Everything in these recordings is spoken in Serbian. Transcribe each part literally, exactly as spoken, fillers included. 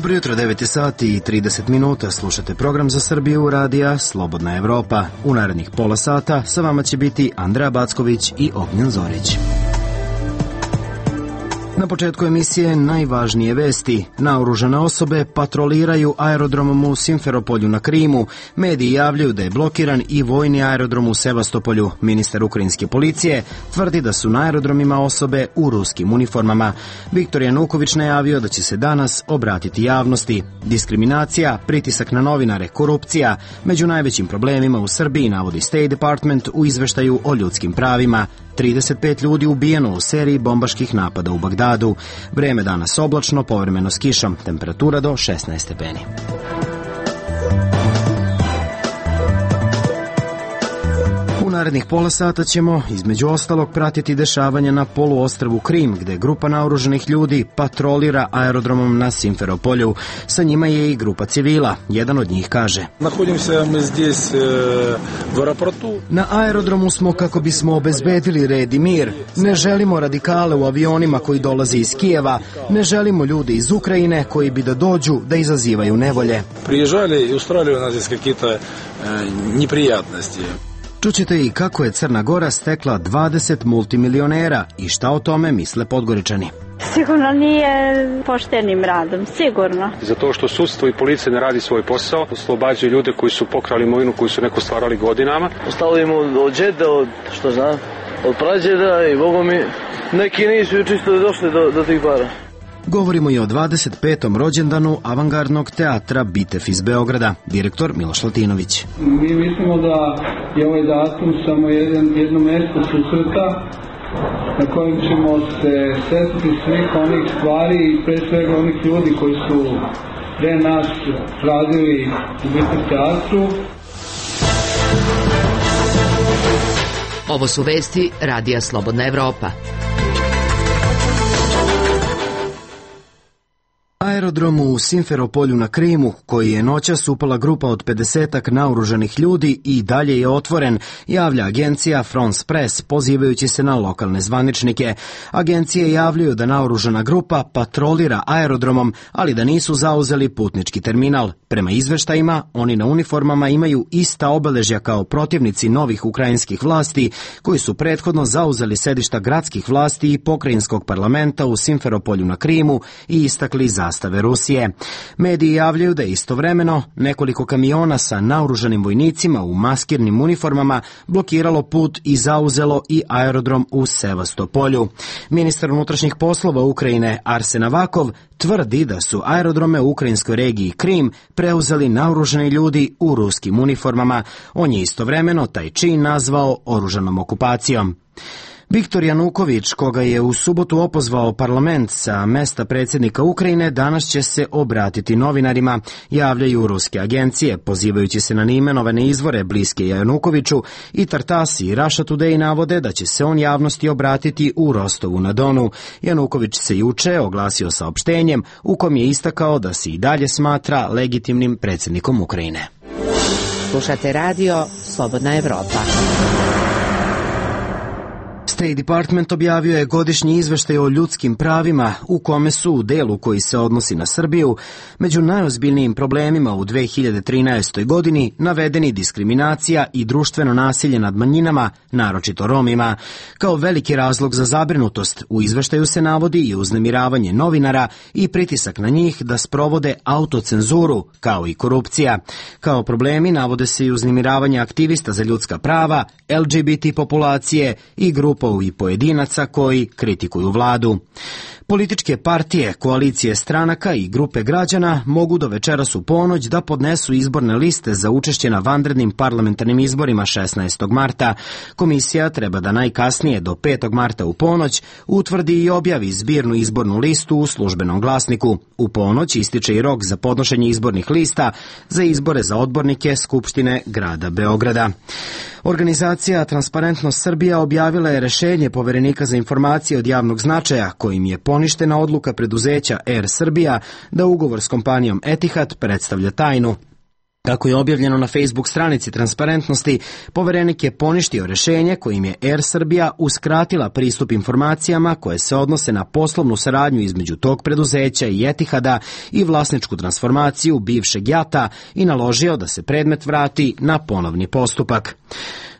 Dobro jutro, devet sati i trideset minuta. Slušate program za Srbiju radija Slobodna Evropa. U narednih pola sata sa vama će biti Andreja Backović i Ognjen Zorić. Na početku emisije najvažnije vesti. Naoružane osobe patroliraju aerodromom u Simferopolju na Krimu. Mediji javljaju da je blokiran i vojni aerodrom u Sevastopolju. Ministar ukrajinske policije tvrdi da su na aerodromima osobe u ruskim uniformama. Viktor Januković najavio da će se danas obratiti javnosti. Diskriminacija, pritisak na novinare, korupcija. Među najvećim problemima u Srbiji navodi State Department u izveštaju o ljudskim pravima. trideset pet ljudi ubijeno u seriji bombaških napada u Bagdadu. Vreme danas oblačno, povremeno s kišom. Temperatura do šesnaest stepeni. U narednih pola sata ćemo, između ostalog, pratiti dešavanja na poluostrvu Krim, gde grupa naoruženih ljudi patrolira aerodromom na Simferopolju. Sa njima je i grupa civila. Jedan od njih kaže: Na aerodromu smo kako bismo obezbedili red i mir. Ne želimo radikale u avionima koji dolaze iz Kijeva. Ne želimo ljude iz Ukrajine koji bi da dođu da izazivaju nevolje. Priježali i ustvarili nas kakve neprijatnosti. Čućete i kako je Crna Gora stekla dvadeset multimilionera i šta o tome misle Podgoričani. Sigurno nije poštenim radom, sigurno. Zato što sudstvo i policija ne radi svoj posao, oslobađaju ljude koji su pokrali imovinu, koji su neko stvarali godinama. Ostalo im od džeda, od, što znam, od prađeda i bogo mi, neki nisu čisto došli do, do tih para. Govorimo i o dvadeset petom rođendanu avangardnog teatra Bitev iz Beograda, direktor Miloš Latinović. Mi mislimo da je ovaj datum samo jedan, jedno mesto susreta na kojem ćemo se setiti svih onih stvari i pre svega onih ljudi koji su pre nas radili u Bitev teatru. Ovo su vesti radija Slobodna Evropa. Aerodromu u Simferopolju na Krimu, koji je noćas upala grupa od pedesetak naoružanih ljudi i dalje je otvoren, javlja agencija France Press, pozivajući se na lokalne zvaničnike. Agencije javljaju da naoružana grupa patrolira aerodromom, ali da nisu zauzeli putnički terminal. Prema izveštajima, oni na uniformama imaju ista obeležja kao protivnici novih ukrajinskih vlasti, koji su prethodno zauzeli sedišta gradskih vlasti i pokrajinskog parlamenta u Simferopolju na Krimu i istakli zastave Rusije. Mediji javljaju da je istovremeno nekoliko kamiona sa naoružanim vojnicima u maskirnim uniformama blokiralo put i zauzelo i aerodrom u Sevastopolju. Ministar unutrašnjih poslova Ukrajine Arsen Avakov tvrdi da su aerodrome u ukrajinskoj regiji Krim preuzeli naoružani ljudi u ruskim uniformama. On je istovremeno taj čin nazvao oružanom okupacijom. Viktor Januković, koga je u subotu opozvao parlament sa mesta predsjednika Ukrajine, danas će se obratiti novinarima, javljaju ruske agencije, pozivajući se na neimenovane izvore bliske Janukoviću, i Tartasi i Russia Today navode da će se on javnosti obratiti u Rostovu na Donu. Januković se juče oglasio saopštenjem u kom je istakao da se i dalje smatra legitimnim predsjednikom Ukrajine. Slušate radio Slobodna Evropa. State Department objavio je godišnji izveštaj o ljudskim pravima u kome su u delu koji se odnosi na Srbiju među najozbiljnijim problemima u dve hiljade trinaestoj. godini navedeni diskriminacija i društveno nasilje nad manjinama, naročito Romima. Kao veliki razlog za zabrinutost u izveštaju se navodi i uznemiravanje novinara i pritisak na njih da sprovode autocenzuru, kao i korupcija. Kao problemi navode se i uznemiravanje aktivista za ljudska prava, L G B T populacije i grupa i pojedinaca koji kritikuju vladu. Političke partije, koalicije stranaka i grupe građana mogu do večeras u ponoć da podnesu izborne liste za učešće na vanrednim parlamentarnim izborima šesnaestog marta. Komisija treba da najkasnije do petog marta u ponoć utvrdi i objavi zbirnu izbornu listu u službenom glasniku. U ponoć ističe i rok za podnošenje izbornih lista za izbore za odbornike Skupštine grada Beograda. Organizacija Transparentnost Srbija objavila je rešenje Poverenika za informacije od javnog značaja, kojim je poništena odluka preduzeća Air Srbija da ugovor s kompanijom Etihad predstavlja tajnu. Kako je objavljeno na Facebook stranici Transparentnosti, poverenik je poništio rešenje kojim je Air Srbija uskratila pristup informacijama koje se odnose na poslovnu saradnju između tog preduzeća i Etihada i vlasničku transformaciju bivšeg JAT-a i naložio da se predmet vrati na ponovni postupak.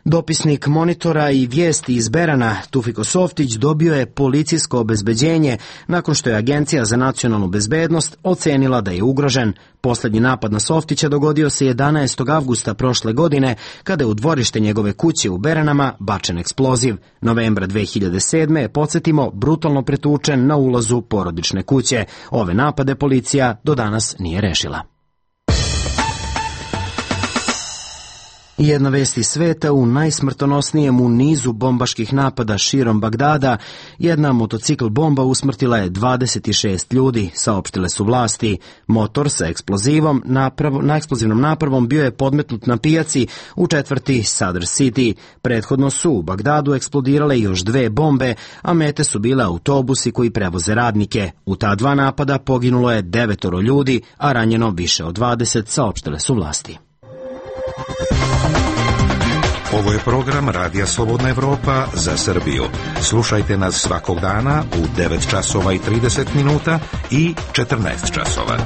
Dopisnik Monitora i vijesti iz Berana, Tufiko Softić, dobio je policijsko obezbeđenje nakon što je Agencija za nacionalnu bezbednost ocenila da je ugrožen. Poslednji napad na Softića dogodio se jedanaestog avgusta prošle godine, kada je u dvorište njegove kuće u Beranama bačen eksploziv. Novembra dve hiljade sedme je, podsjetimo, brutalno pretučen na ulazu porodične kuće. Ove napade policija do danas nije rešila. Jedna vest iz sveta: u najsmrtonosnijem u nizu bombaških napada širom Bagdada, jedna motocikl bomba usmrtila je dvadeset šest ljudi, saopštile su vlasti. Motor sa eksplozivom naprav, na eksplozivnom napravom bio je podmetnut na pijaci u četvrti Sadr City. Prethodno su u Bagdadu eksplodirale još dve bombe, a mete su bile autobusi koji prevoze radnike. U ta dva napada poginulo je devetoro ljudi, a ranjeno više od dvadeset, saopštile su vlasti. Ovo je program Radija Slobodna Evropa za Srbiju. Slušajte nas svakog dana u devet časova i trideset minuta i četrnaest časova.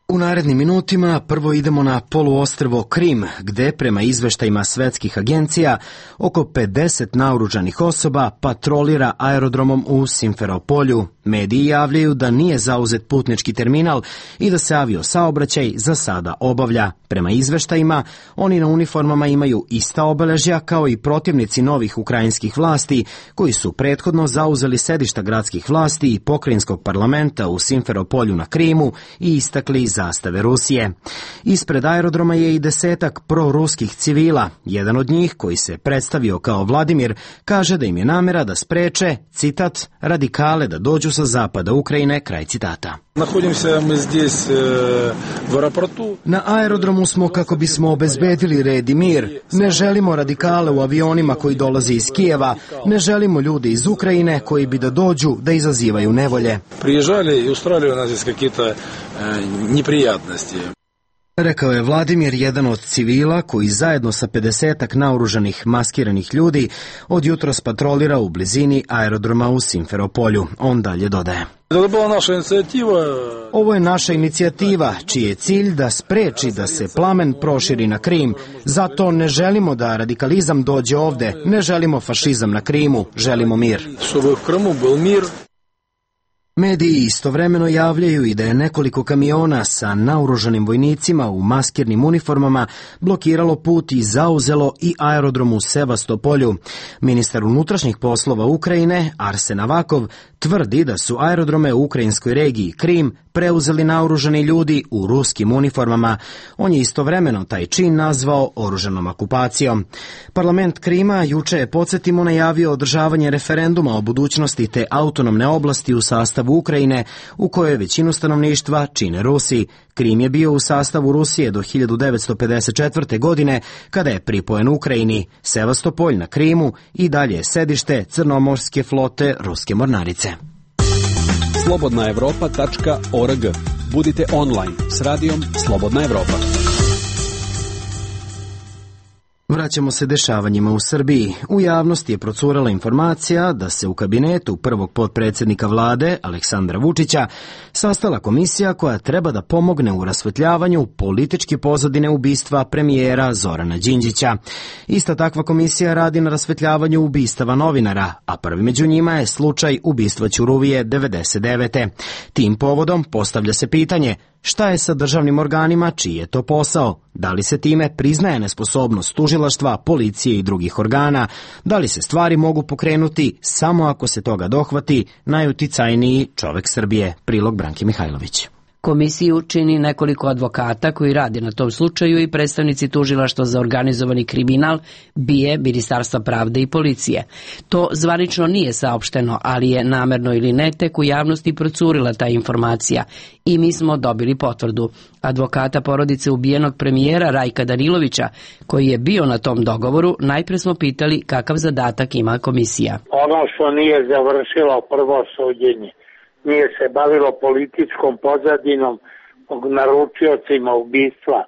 U narednim minutima prvo idemo na poluostrvo Krim, gde prema izveštajima svetskih agencija oko pedeset naoružanih osoba patrolira aerodromom u Simferopolju. Mediji javljaju da nije zauzet putnički terminal i da se avio saobraćaj za sada obavlja. Prema izveštajima, oni na uniformama imaju ista obeležja kao i protivnici novih ukrajinskih vlasti, koji su prethodno zauzeli sedišta gradskih vlasti i pokrajinskog parlamenta u Simferopolju na Krimu i istakli zastave Rusije. Ispred aerodroma je i desetak proruskih civila. Jedan od njih, koji se predstavio kao Vladimir, kaže da im je namera da spreče, citat, radikale da dođu sa zapada Ukrajine, kraj citata. Na aerodromu smo kako bismo obezbedili red i mir. Ne želimo radikale u avionima koji dolaze iz Kijeva, ne želimo ljude iz Ukrajine koji bi da dođu da izazivaju nevolje. Priježali i ustvarili nas kakite neprijatnosti. Rekao je Vladimir, jedan od civila koji zajedno sa pedesetak naoružanih maskiranih ljudi od jutros patrolira u blizini aerodroma u Simferopolju. On dalje dodaje: ovo je naša inicijativa, čiji je cilj da spreči da se plamen proširi na Krim. Zato ne želimo da radikalizam dođe ovde, ne želimo fašizam na Krimu, želimo mir. Mediji istovremeno javljaju i da je nekoliko kamiona sa naoružanim vojnicima u maskirnim uniformama blokiralo put i zauzelo i aerodrom u Sevastopolju. Ministar unutrašnjih poslova Ukrajine, Arsen Avakov, tvrdi da su aerodrome u ukrajinskoj regiji Krim preuzeli naoružani ljudi u ruskim uniformama. On je istovremeno taj čin nazvao oružanom okupacijom. Parlament Krima juče je, podsjetimo, najavio održavanje referenduma o budućnosti te autonomne oblasti u sastavu Ukrajine, u kojoj većinu stanovništva čine Rusi. Krim je bio u sastavu Rusije do hiljadu devetsto pedeset četvrte. godine, kada je pripojen Ukrajini. Sevastopolj na Krimu i dalje je sedište crnomorske flote ruske mornarice. slobodna evropa tačka org. Budite online s radijom Slobodna Evropa. Vraćamo se dešavanjima u Srbiji. U javnosti je procurala informacija da se u kabinetu prvog potpredsjednika vlade, Aleksandra Vučića, sastala komisija koja treba da pomogne u rasvetljavanju političke pozadine ubistva premijera Zorana Đinđića. Ista takva komisija radi na rasvetljavanju ubistava novinara, a prvi među njima je slučaj ubistva Ćuruvije devedeset devete. Tim povodom postavlja se pitanje: šta je sa državnim organima, čiji je to posao? Da li se time priznaje nesposobnost tužilaštva, policije i drugih organa? Da li se stvari mogu pokrenuti samo ako se toga dohvati najuticajniji čovek Srbije? Prilog Branke Mihajlović. Komisiju čini nekoliko advokata koji rade na tom slučaju i predstavnici tužilaštva za organizovani kriminal, B I E, Ministarstva pravde i policije. To zvanično nije saopšteno, ali je namerno ili ne tek u javnosti procurila ta informacija i mi smo dobili potvrdu. Advokata porodice ubijenog premijera Rajka Danilovića, koji je bio na tom dogovoru, najpre smo pitali kakav zadatak ima komisija. Ono što nije završilo prvo suđenje, nije se bavilo političkom pozadinom, naručiocima ubistva.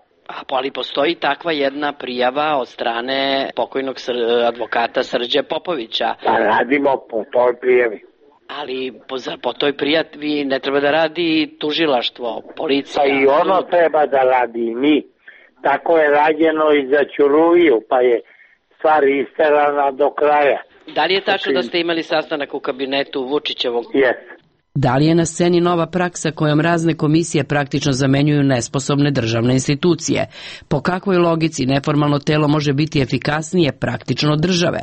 Ali postoji takva jedna prijava od strane pokojnog advokata Srđe Popovića. Pa radimo po toj prijavi. Ali po, po toj prijavi ne treba da radi tužilaštvo, policija. Pa i ono treba da radi i mi. Tako je rađeno i za Ćuruviju, pa je stvar isterana do kraja. Da li je tačno da ste imali sastanak u kabinetu Vučićevog? Jes. Da li je na sceni nova praksa kojom razne komisije praktično zamenjuju nesposobne državne institucije? Po kakvoj logici neformalno telo može biti efikasnije praktično od države?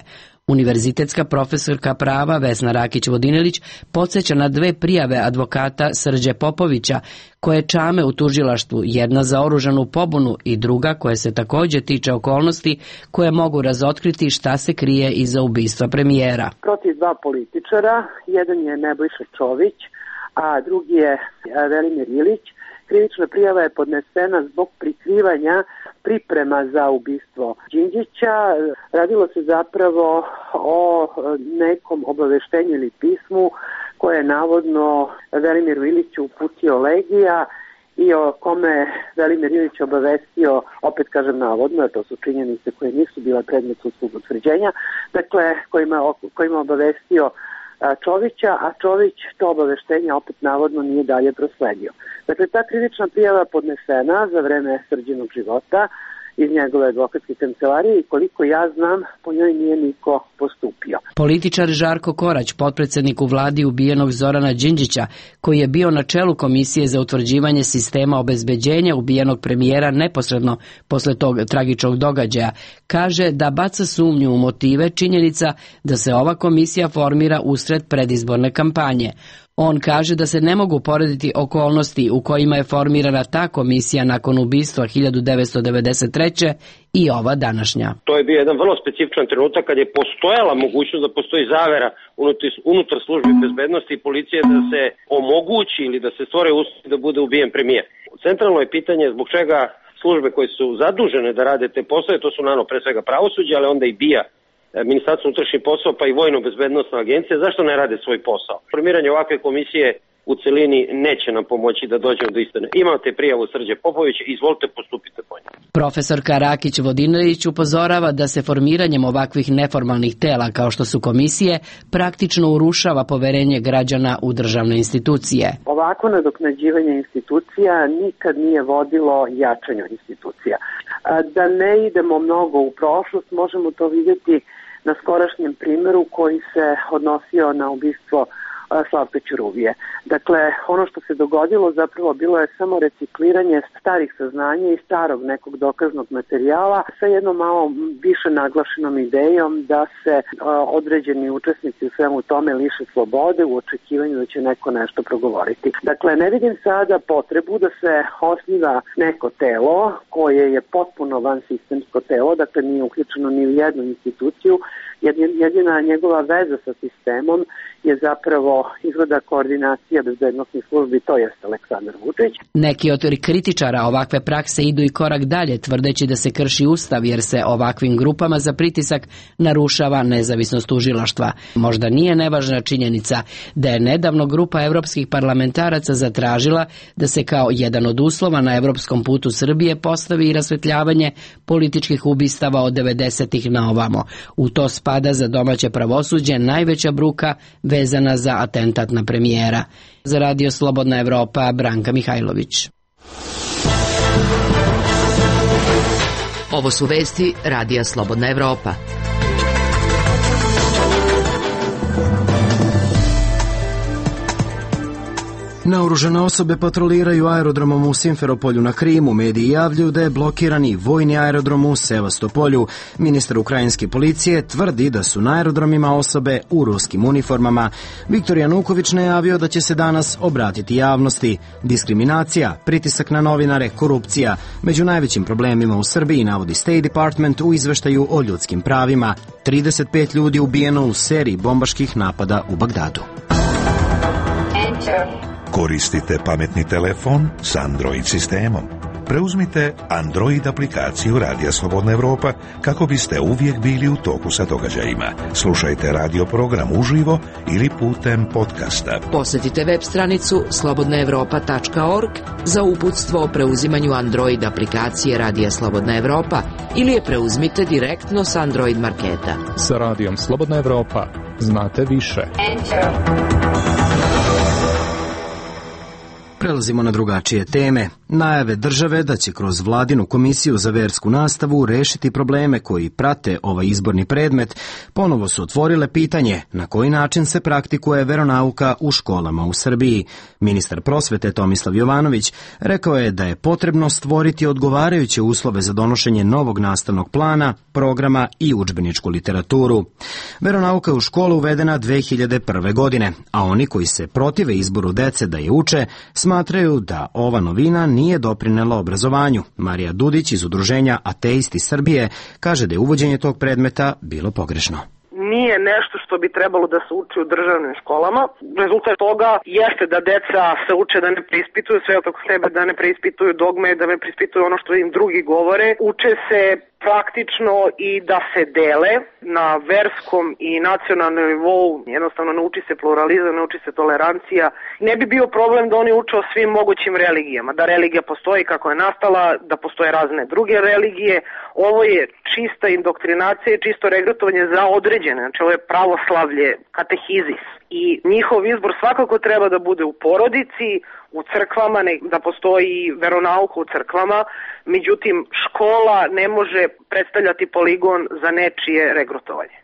Univerzitetska profesorka prava Vesna Rakić-Vodinelić podsjeća na dve prijave advokata Srđe Popovića koje čame u tužilaštvu, jedna za oružanu pobunu i druga koja se takođe tiče okolnosti koje mogu razotkriti šta se krije iza ubistva premijera. Protiv dva političara, jedan je Nebojša Čović, a drugi je Velimir Ilić. Krivična prijava je podnesena zbog prikrivanja priprema za ubistvo Đinđića. Radilo se zapravo o nekom obaveštenju ili pismu koje je navodno Velimiru Iliću uputio Legija i o kome Velimir Ilić obavestio, opet kažem navodno, jer to su činjenice koje nisu bile predmet sudskog utvrđenja, dakle kojima, kojima obavestio Čovića, a Čović to obaveštenje opet navodno nije dalje prosledio. Dakle, ta krivična prijava podnesena za vreme Srđinog života iz njegove advokatske kancelarije i koliko ja znam, po njoj nije niko postupio. Političar Žarko Korać, potpredsednik u vladi ubijenog Zorana Đinđića, koji je bio na čelu Komisije za utvrđivanje sistema obezbeđenja ubijenog premijera neposredno posle tog tragičnog događaja, kaže da baca sumnju u motive činjenica da se ova komisija formira usred predizborne kampanje. On kaže da se ne mogu porediti okolnosti u kojima je formirana ta komisija nakon ubistva hiljadu devetsto devedeset treće i ova današnja. To je bio jedan vrlo specifičan trenutak kad je postojala mogućnost da postoji zavera unutar službi bezbednosti i policije da se omogući ili da se stvore uslovi da bude ubijen premijer. Centralno je pitanje zbog čega službe koje su zadužene da rade te poslove, to su naravno pre svega pravosuđe, ali onda i BIA, Ministarstvo unutrašnjih poslova pa i Vojno-bezbednosna agencija, zašto ne rade svoj posao? Formiranje ovakve komisije u celini neće nam pomoći da dođemo do istine. Imate prijavu Srđe Popovića, izvolite, postupite po njoj. Profesorka Rakić-Vodinelić upozorava da se formiranjem ovakvih neformalnih tela kao što su komisije praktično urušava poverenje građana u državne institucije. Ovako nadoknađivanje institucija nikad nije vodilo jačanju institucija. Da ne idemo mnogo u prošlost, možemo to vidjeti na skorašnjem primjeru koji se odnosio na ubistvo Slavka Ćuruvije. Dakle, ono što se dogodilo zapravo bilo je samo recikliranje starih saznanja i starog nekog dokaznog materijala sa jednom malo više naglašenom idejom da se određeni učesnici u svemu tome liše slobode u očekivanju da će neko nešto progovoriti. Dakle, ne vidim sada potrebu da se osniva neko telo koje je potpuno vansistemsko telo, dakle nije uključeno ni u jednu instituciju. Jedina njegova veza sa sistemom je zapravo izgleda koordinacija bezbednosnih službi, to jest Aleksandar Vučić. Neki od kritičara ovakve prakse idu i korak dalje, tvrdeći da se krši ustav jer se ovakvim grupama za pritisak narušava nezavisnost tužilaštva. Možda nije nevažna činjenica da je nedavno grupa evropskih parlamentaraca zatražila da se kao jedan od uslova na evropskom putu Srbije postavi i rasvetljavanje političkih ubistava od devedesetih na ovamo. U to spada za domaće pravosuđe najveća bruka vezana za atentat na premijera. Za Radio Slobodna Evropa, Branka Mihajlović. Ovo su vesti Radija Slobodna Evropa. Naoružane osobe patroliraju aerodromom u Simferopolju na Krimu. Mediji javljaju da je blokiran i vojni aerodrom u Sevastopolju. Ministar ukrajinske policije tvrdi da su na aerodromima osobe u ruskim uniformama. Viktor Januković najavio da će se danas obratiti javnosti. Diskriminacija, pritisak na novinare, korupcija. Među najvećim problemima u Srbiji navodi State Department u izveštaju o ljudskim pravima. trideset pet ljudi ubijeno u seriji bombaških napada u Bagdadu. Koristite pametni telefon s Android sistemom. Preuzmite Android aplikaciju Radija Slobodna Evropa kako biste uvijek bili u toku sa događajima. Slušajte radio program uživo ili putem podcasta. Posjetite web stranicu slobodna evropa tačka org za uputstvo o preuzimanju Android aplikacije Radija Slobodna Evropa ili je preuzmite direktno s Android marketa. Sa Radijom Slobodna Evropa znate više. Prelazimo na drugačije teme. Najave države da će kroz vladinu komisiju za versku nastavu rešiti probleme koji prate ovaj izborni predmet, ponovo su otvorile pitanje na koji način se praktikuje veronauka u školama u Srbiji. Ministar prosvete Tomislav Jovanović rekao je da je potrebno stvoriti odgovarajuće uslove za donošenje novog nastavnog plana, programa i udžbeničku literaturu. Veronauka je u školu uvedena dve hiljade prve. godine, a oni koji se protive izboru dece da je uče, smatraju da ova novina nije doprinela obrazovanju. Marija Dudić iz udruženja Ateisti Srbije kaže da je uvođenje tog predmeta bilo pogrešno. Nije nešto što bi trebalo da se uči u državnim školama. Rezultat toga jeste da deca se uče da ne preispituju sve oko sebe, da ne preispituju dogme, da ne preispituju ono što im drugi govore. Uče se praktično i da se dele na verskom i nacionalnom nivou. Jednostavno ne uči se pluralizam, ne uči se tolerancija. Ne bi bio problem da oni uče o svim mogućim religijama, da religija postoji kako je nastala, da postoje razne druge religije. Ovo je čista indoktrinacija i čisto regrutovanje za određene, znači ovo je pravoslavlje, katehizis. I njihov izbor svakako treba da bude u porodici, u crkvama, da postoji veronauka u crkvama, međutim škola ne može predstavljati poligon za nečije regrutovanje.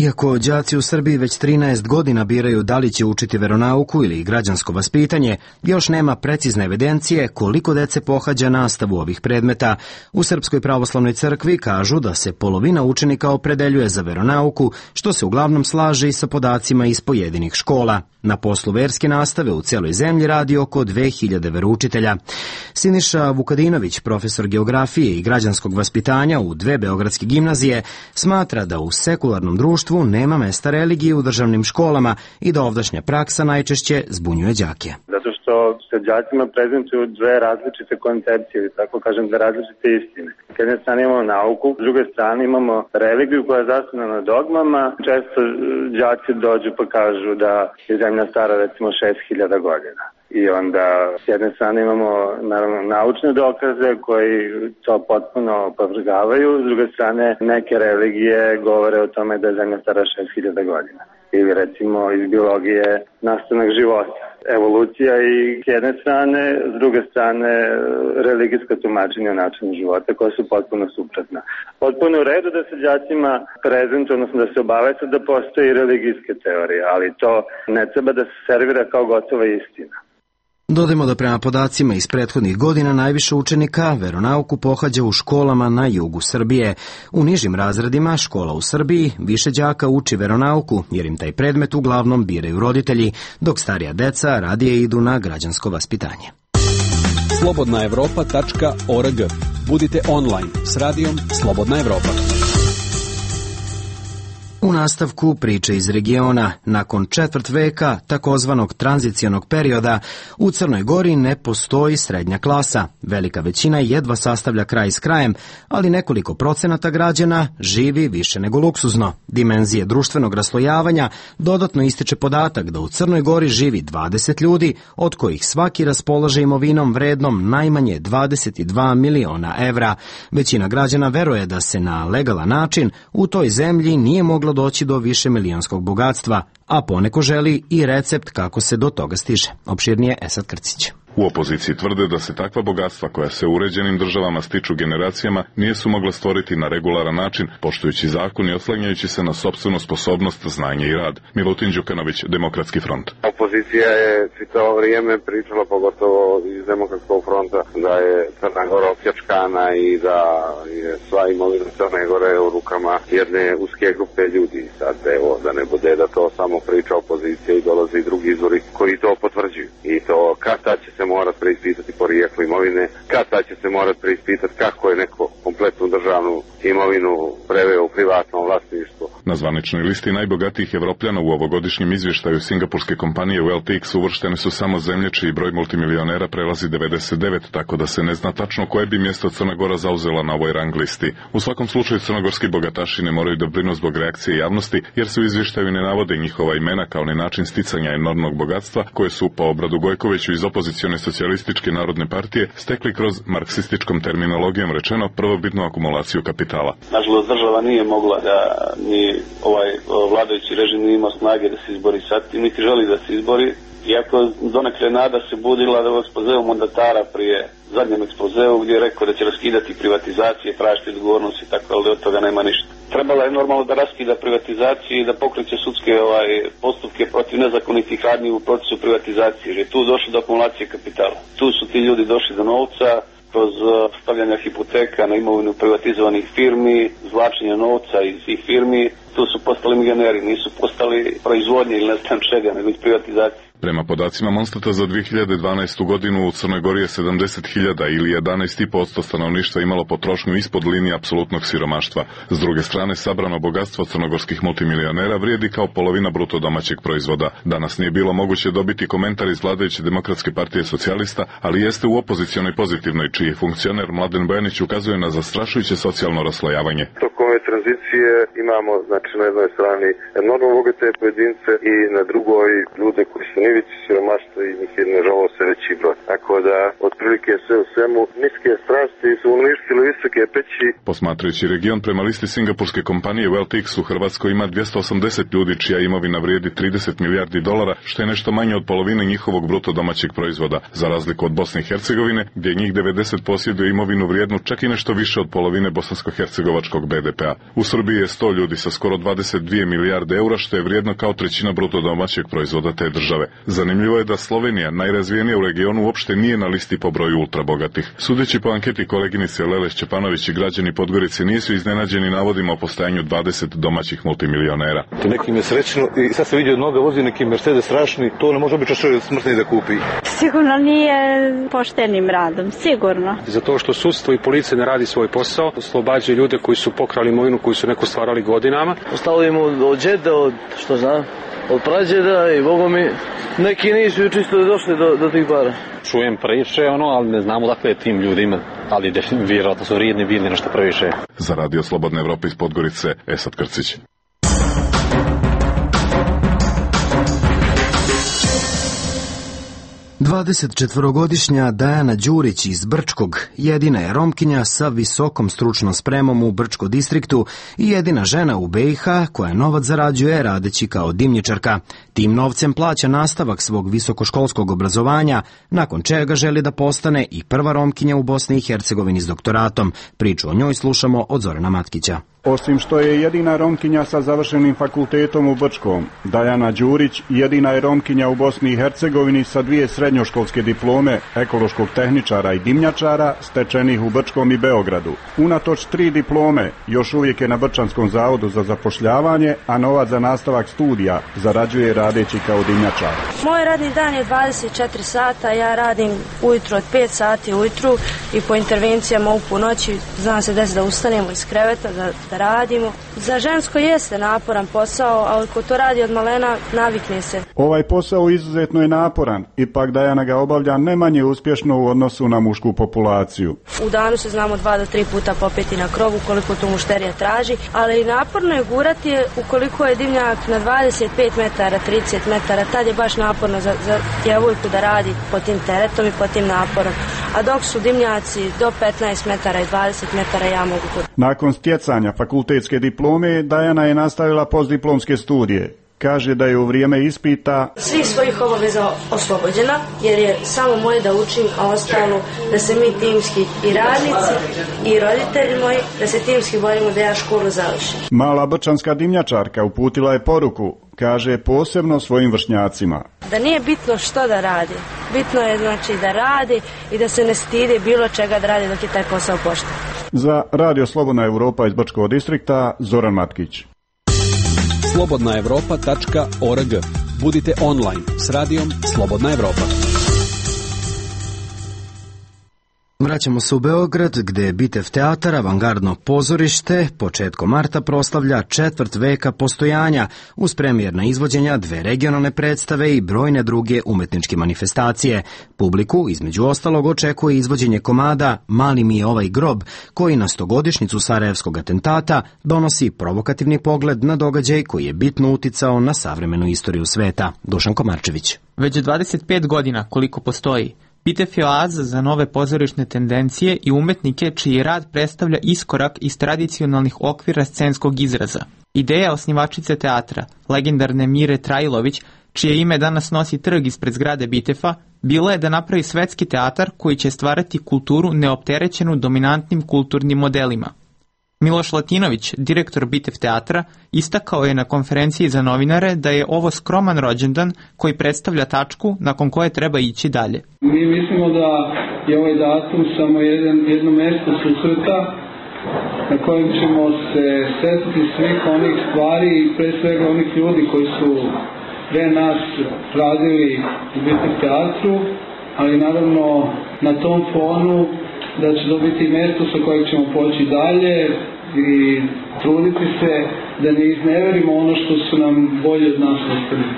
Iako đaci u Srbiji već trinaest godina biraju da li će učiti veronauku ili građansko vaspitanje, još nema precizne evidencije koliko dece pohađa nastavu ovih predmeta. U Srpskoj pravoslavnoj crkvi kažu da se polovina učenika opredeljuje za veronauku, što se uglavnom slaže i sa podacima iz pojedinih škola. Na poslu verske nastave u celoj zemlji radi oko dve hiljade veroučitelja. Siniša Vukadinović, profesor geografije i građanskog vaspitanja u dve beogradske gimnazije, smatra da u sekularnom društvu nema mesta religije u državnim školama i da ovdašnja praksa najčešće zbunjuje đake. Zato što se đacima prezentuju dve različite koncepcije, ili tako kažem, dve različite istine. S jedne strane imamo nauku, s druge strane imamo religiju koja je zasnovana na dogmama. Često đaci dođu pa kažu da je zemlja stara recimo šest hiljada godina. I onda s jedne strane imamo naravno naučne dokaze koji to potpuno opovrgavaju, s druge strane neke religije govore o tome da je zemlja stara šest hiljada godina. Ili recimo iz biologije nastanak života. Evolucija i s jedne strane, s druge strane religijska tumačenja o načinu života koja su potpuno suprotna. Potpuno u redu da se đacima prezentuje, odnosno da se obaveste da postoji religijske teorije, ali to ne treba da se servira kao gotova istina. Dodajmo da prema podacima iz prethodnih godina najviše učenika veronauku pohađa u školama na jugu Srbije. U nižim razredima škola u Srbiji više đaka uči veronauku jer im taj predmet uglavnom biraju roditelji, dok starija deca radije idu na građansko vaspitanje. slobodna evropa tačka org. Budite online s radijom Slobodna Evropa. U nastavku priče iz regiona, nakon četvrt veka takozvanog tranzicionog perioda, u Crnoj Gori ne postoji srednja klasa. Velika većina jedva sastavlja kraj s krajem, ali nekoliko procenata građana živi više nego luksuzno. Dimenzije društvenog raslojavanja dodatno ističe podatak da u Crnoj Gori živi dvadeset ljudi, od kojih svaki raspolaže imovinom vrednom najmanje dvadeset dva miliona evra. Većina građana veruje da se na legalan način u toj zemlji nije moglo doći do više milijonskog bogatstva, a poneko želi i recept kako se do toga stiže. Opširnije Esad Krcić. U opoziciji tvrde da se takva bogatstva koja se u uređenim državama stiču generacijama nije su mogla stvoriti na regularan način, poštujući zakon i oslanjajući se na sopstvenu sposobnost, znanje i rad. Milutin Đukanović, Demokratski front. Opozicija je čitavo vrijeme pričala, pogotovo iz Demokratskog fronta, da je Crna Gora opljačkana i da je sva imovina Crne Gore u rukama jedne uske grupe ljudi. Sad evo, da ne bude da to samo priča opozicija i dolaze i drugi izvori koji to potvrđuju. I to kad tad će se se morati preispitati porijeklo imovine, kad tad će se morati preispitati kako je neko kompletnu državnu imovinu preveo u privatno vlasništvo. Na zvaničnoj listi najbogatijih Evropljana u ovogodišnjem izvještaju singapurske kompanije Wealth X uvrštene su samo zemlje čiji broj multimilionera prelazi devedeset devet, tako da se ne zna tačno koje bi mjesto Crna Gora zauzela na ovoj rang listi. U svakom slučaju crnogorski bogataši ne moraju da brinu zbog reakcije javnosti, jer se u izvještaju ne navode njihova imena kao ni način sticanja enormnog bogatstva koje su po Obradu Gojkoviću iz opozicione socijalističke narodne partije stekli kroz marksističkom terminologijom rečeno prvobitnu akumulaciju kapitala. Nažalost, država nije mogla da ni ovaj vladajući režim nije imao snage da se izbori sa tim, niti želi da se izbori. Iako donekle nada se budila da u ekspozeu mandatara prije zadnjem ekspozeu gdje je rekao da će raskidati privatizacije, tražiti odgovornost i tako, ali od toga nema ništa. Trebalo je normalno da raskida privatizaciju i da pokreće sudske ovaj, postupke protiv nezakonitih radnji u procesu privatizacije, jer je tu došlo do akumulacije kapitala. Tu su ti ljudi došli do novca kroz stavljanja hipoteka na imovinu privatizovanih firmi, zvlačenja novca iz tih firmi. Tu su postali milioneri, nisu postali proizvodnje ili ne znam čega, nego iz privatizacije. Prema podacima Monstata za dvije hiljade dvanaestu godinu u Crnoj Gori je sedamdeset hiljada ili jedanaest zarez pet posto stanovništva imalo potrošnju ispod linije apsolutnog siromaštva. S druge strane, sabrano bogatstvo crnogorskih multimilionera vrijedi kao polovina bruto domaćeg proizvoda. Danas nije bilo moguće dobiti komentar iz vladajuće Demokratske partije socijalista, ali jeste u opozicionoj pozitivnoj, čiji funkcioner Mladen Bojanić ukazuje na zastrašujuće socijalno raslojavanje. Tokom ove tranzicije imamo, znači, na jednoj strani enormno bogate pojedince i na drugoj ljude koji su nivici siromaštva i njih je nažalost sve veći broj. Tako da, otprilike sve u svemu, niske strasti su uništile visoke peći. Posmatrajući region prema listi singapurske kompanije Wealth X u Hrvatskoj ima dvjesto osamdeset ljudi čija imovina vrijedi trideset milijardi dolara, što je nešto manje od polovine njihovog bruto domaćeg proizvoda, za razliku od Bosne i Hercegovine, gdje njih devedeset posjeduje imovinu vrijednu čak i nešto više od polovine bosansko-hercegovačkog be de pea. U Srbiji je sto ljudi sa skoro dvadeset dvije milijarde eura, što je vrijedno kao trećina bruto domaćeg proizvoda te države. Zanimljivo je da Slovenija, najrazvijenija u regionu, uopšte nije na listi po broju ultrabogatih. Sudeći po anketi koleginice Lele Šćepanović i građani Podgorice nisu iznenađeni navodima o postojanju dvadeset domaćih multimilionera. Nekim je srećno i sad se vidi od noga vozi neki Mercedes strašni, to ne može obično čovjek smrtni da kupi. Sigurno nije poštenim radom, sigurno. Zato što sudstvo i policija ne radi svoj posao, oslobađaju ljude koji su pokrali imovinu, koji su neko stvarali godinama. Ostavimo od džeda, od što znam, od prađeda i Boga mi, neki nisu čisto došli do, do tih para. Čujem priče, ono, ali ne znamo dakle je tim ljudima, ali vjerojatno su vrijedni bili nešto previše. Za Radio Slobodne Evrope iz Podgorice, Esad Krcić. dvadesetčetvorogodišnja Dajana Đurić iz Brčkog jedina je Romkinja sa visokom stručnom spremom u Brčko distriktu i jedina žena u be i ha koja novac zarađuje radeći kao dimnjačarka. Tim novcem plaća nastavak svog visokoškolskog obrazovanja, nakon čega želi da postane i prva Romkinja u Bosni i Hercegovini s doktoratom. Priču o njoj slušamo od Zorana Matkića. Osim što je jedina Romkinja sa završenim fakultetom u Brčkom, Dajana Đurić jedina je Romkinja u Bosni i Hercegovini sa dvije srednjoškolske diplome ekološkog tehničara i dimnjačara stečenih u Brčkom i Beogradu. Unatoč tri diplome još uvijek je na Brčanskom zavodu za zapošljavanje, a novac za nastavak studija zarađuje radeći kao dimnjačar. Moj radni dan je dvadeset četiri sata, ja radim ujutro od pet sati ujutru i po intervencijama u po noći znam se desi da ustanemo iz kreveta, da da radimo. Za žensko jeste naporan posao, ali ko to radi od malena navikne se. Ovaj posao izuzetno je naporan, ipak Dajana ga obavlja ne manje uspješno u odnosu na mušku populaciju. U danu se znamo dva do tri puta popeti na krovu koliko to mušterija traži, ali naporno je gurati je ukoliko je dimnjak na dvadeset pet metara, trideset metara, tad je baš naporno za, za djevojku da radi pod tim teretom i pod tim naporom. A dok su dimnjaci do petnaest metara i dvadeset metara ja mogu to. Nakon stjecanja fakultetske diplome, Dajana je nastavila postdiplomske studije. Kaže da je u vrijeme ispita svih svojih obaveza oslobođena, jer je samo moje da učim, a ostalo da se mi timski i radnici i roditelji moji, da se timski borimo da ja školu završim. Mala brčanska dimnjačarka uputila je poruku, kaže posebno svojim vršnjacima. Da nije bitno što da radi, bitno je znači da radi i da se ne stidi bilo čega da radi dok je taj posao pošten. Za Radio Slobodna Evropa iz Brčkog distrikta, Zoran Matkić. slobodna evropa tačka org. Budite online s radijom Slobodna Evropa. Vraćamo se u Beograd, gde je Bitev teatar, avangardno pozorište, početkom marta proslavlja četvrt veka postojanja, uz premijerna izvođenja dve regionalne predstave i brojne druge umetničke manifestacije. Publiku, između ostalog, očekuje izvođenje komada Mali mi je ovaj grob, koji na stogodišnjicu Sarajevskog atentata donosi provokativni pogled na događaj koji je bitno uticao na savremenu istoriju sveta. Dušan Komarčević. Već dvadeset pet godina koliko postoji, Bitev je oaza za nove pozorišne tendencije i umetnike čiji rad predstavlja iskorak iz tradicionalnih okvira scenskog izraza. Ideja osnivačice teatra, legendarne Mire Trajlović, čije ime danas nosi trg ispred zgrade Bitefa, bila je da napravi svetski teatar koji će stvarati kulturu neopterećenu dominantnim kulturnim modelima. Miloš Latinović, direktor Bitev teatra, istakao je na konferenciji za novinare da je ovo skroman rođendan koji predstavlja tačku nakon koje treba ići dalje. Mi mislimo da je ovaj datum samo jedan, jedno mesto susreta na kojem ćemo se setiti svih onih stvari i pre svega onih ljudi koji su pre nas radili u Bitev teatru, ali naravno na tom fonu da će to biti mesto sa kojeg ćemo poći dalje i truditi se da ne izneverimo ono što su nam bolje od nas ostavili.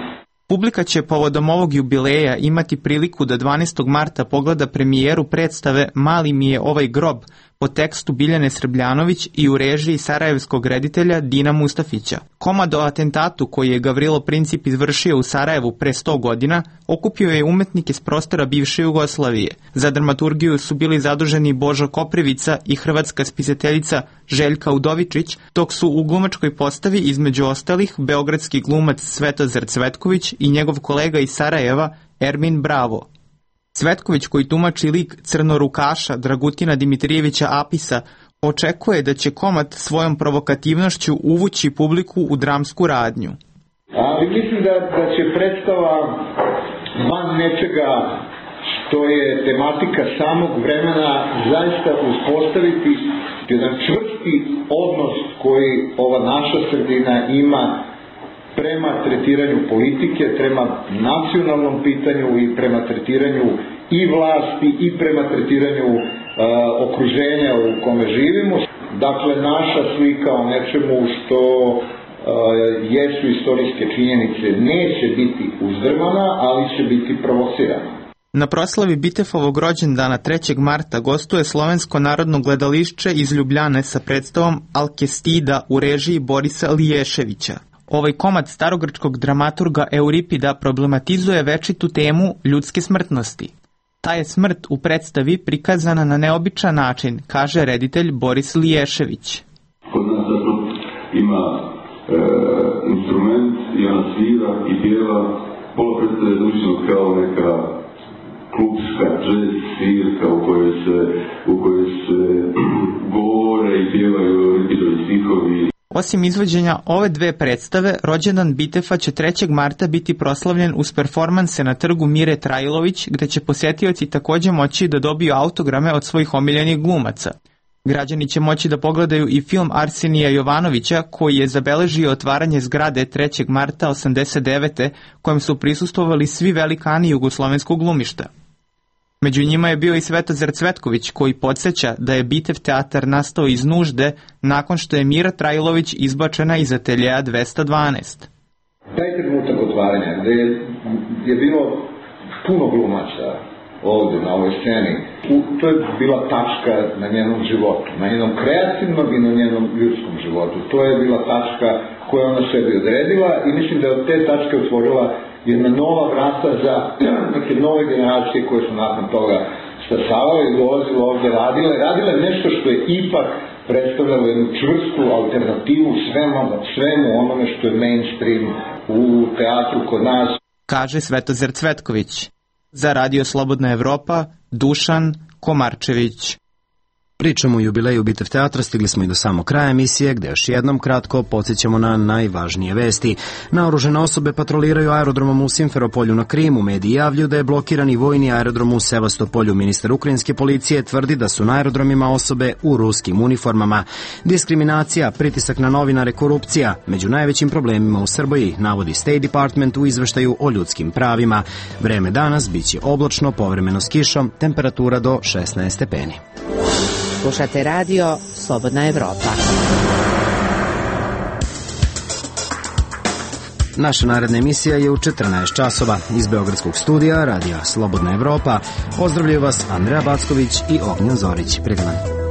Publika će povodom ovog jubileja imati priliku da dvanaestog marta pogleda premijeru predstave Mali mi je ovaj grob po tekstu Biljane Srbljanović i u režiji sarajevskog reditelja Dina Mustafića. Komad o atentatu koji je Gavrilo Princip izvršio u Sarajevu pre sto godina okupio je umetnike s prostora bivše Jugoslavije. Za dramaturgiju su bili zaduženi Božo Koprivica i hrvatska spisateljica Željka Udovičić, dok su u glumačkoj postavi između ostalih beogradski glumac Svetozar Cvetković i njegov kolega iz Sarajeva Ermin Bravo. Cvetković, koji tumači lik crnorukaša Dragutina Dimitrijevića Apisa, očekuje da će komad svojom provokativnošću uvući publiku u dramsku radnju. Ali mislim da, da će predstava van nečega što je tematika samog vremena zaista uspostaviti jedan čvrsti odnos koji ova naša sredina ima prema tretiranju politike, prema nacionalnom pitanju i prema tretiranju i vlasti i prema tretiranju uh, okruženja u kome živimo. Dakle, naša slika o nečemu što uh, jesu istorijske činjenice neće biti uzdrmana, ali će biti provocirana. Na proslavi Bitefovog rođendana trećeg marta gostuje Slovensko narodno gledališće iz Ljubljane sa predstavom Alkestida u režiji Borisa Liješevića. Ovaj komad starogrčkog dramaturga Euripida problematizuje večitu temu ljudske smrtnosti. Ta je smrt u predstavi prikazana na neobičan način, kaže reditelj Boris Liješević. Kod nas zato ima e, instrument i ona svira i pjeva, pola predstave zvučeno kao neka klubska jazz svirka u kojoj se, u kojoj se govore i pjevaju Euripidovi stihovi. Osim izvođenja ove dve predstave, rođendan Bitefa će trećeg marta biti proslavljen uz performanse na trgu Mire Trajlović, gde će posjetioci također moći da dobiju autograme od svojih omiljenih glumaca. Građani će moći da pogledaju i film Arsenija Jovanovića, koji je zabeležio otvaranje zgrade trećeg marta osamdeset devete kojem su prisustvovali svi velikani jugoslovenskog glumišta. Među njima je bio i Svetozar Cvetković, koji podsjeća da je Bitev teatar nastao iz nužde nakon što je Mira Trajlović izbačena iz ateljeja dvesta dvanaest. Taj trenutak otvaranja, gde je, je bilo puno glumaca ovdje na ovoj sceni, to je bila tačka na njenom životu, na njenom kreativnom i na njenom ljudskom životu. To je bila tačka koju ona sebi odredila i mislim da je od te tačke otvorila jedna nova vrata za neke nove generacije koje su nakon toga stasavale i dolazile ovdje radile. Radile nešto što je ipak predstavljalo jednu čvrstu alternativu svemu, svemu onome što je mainstream u teatru kod nas. Kaže Svetozar Cvetković. Za Radio Slobodna Evropa, Dušan Komarčević. Pričamo o jubileju Bitev teatra, stigli smo i do samog kraja emisije, gde još jednom kratko podsjećamo na najvažnije vesti. Naoružene osobe patroliraju aerodromom u Simferopolju na Krimu. Mediji javljaju da je blokirani vojni aerodrom u Sevastopolju. Ministar ukrajinske policije tvrdi da su na aerodromima osobe u ruskim uniformama. Diskriminacija, pritisak na novinare, korupcija među najvećim problemima u Srbiji, navodi State Department u izveštaju o ljudskim pravima. Vreme danas biće oblačno, povremeno s kišom, temperatura do šesnaest stepeni. Slušate radio Slobodna Evropa. Naša naredna emisija je u četrnaest časova. Iz Beogradskog studija radija Slobodna Evropa pozdravljaju vas Andreja Backović i Ognjen Zorić. Prijedan.